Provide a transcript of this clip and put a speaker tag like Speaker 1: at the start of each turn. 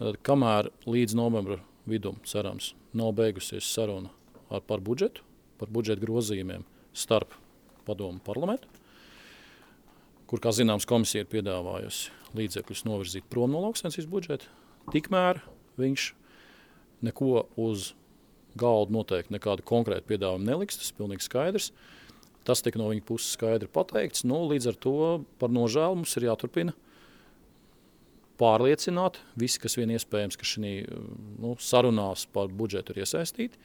Speaker 1: Kamēr līdz novembra vidum, cerams, nav beigusies saruna par budžetu grozījumiem starp padomu un parlamentu, kur, kā zināms, komisija ir piedāvājusi līdzekļus novirzīt prom no lauksaimniecības budžeta, tikmēr viņš neko uz galdu noteikti nekādu konkrētu piedāvājumu neliks, tas ir pilnīgi skaidrs. Tas tika no viņa puses skaidri pateikts. Līdz ar to par nožēlu mums ir jāturpina pārliecināt visi, kas vien iespējams, ka šī sarunās par budžetu ir iesaistīti.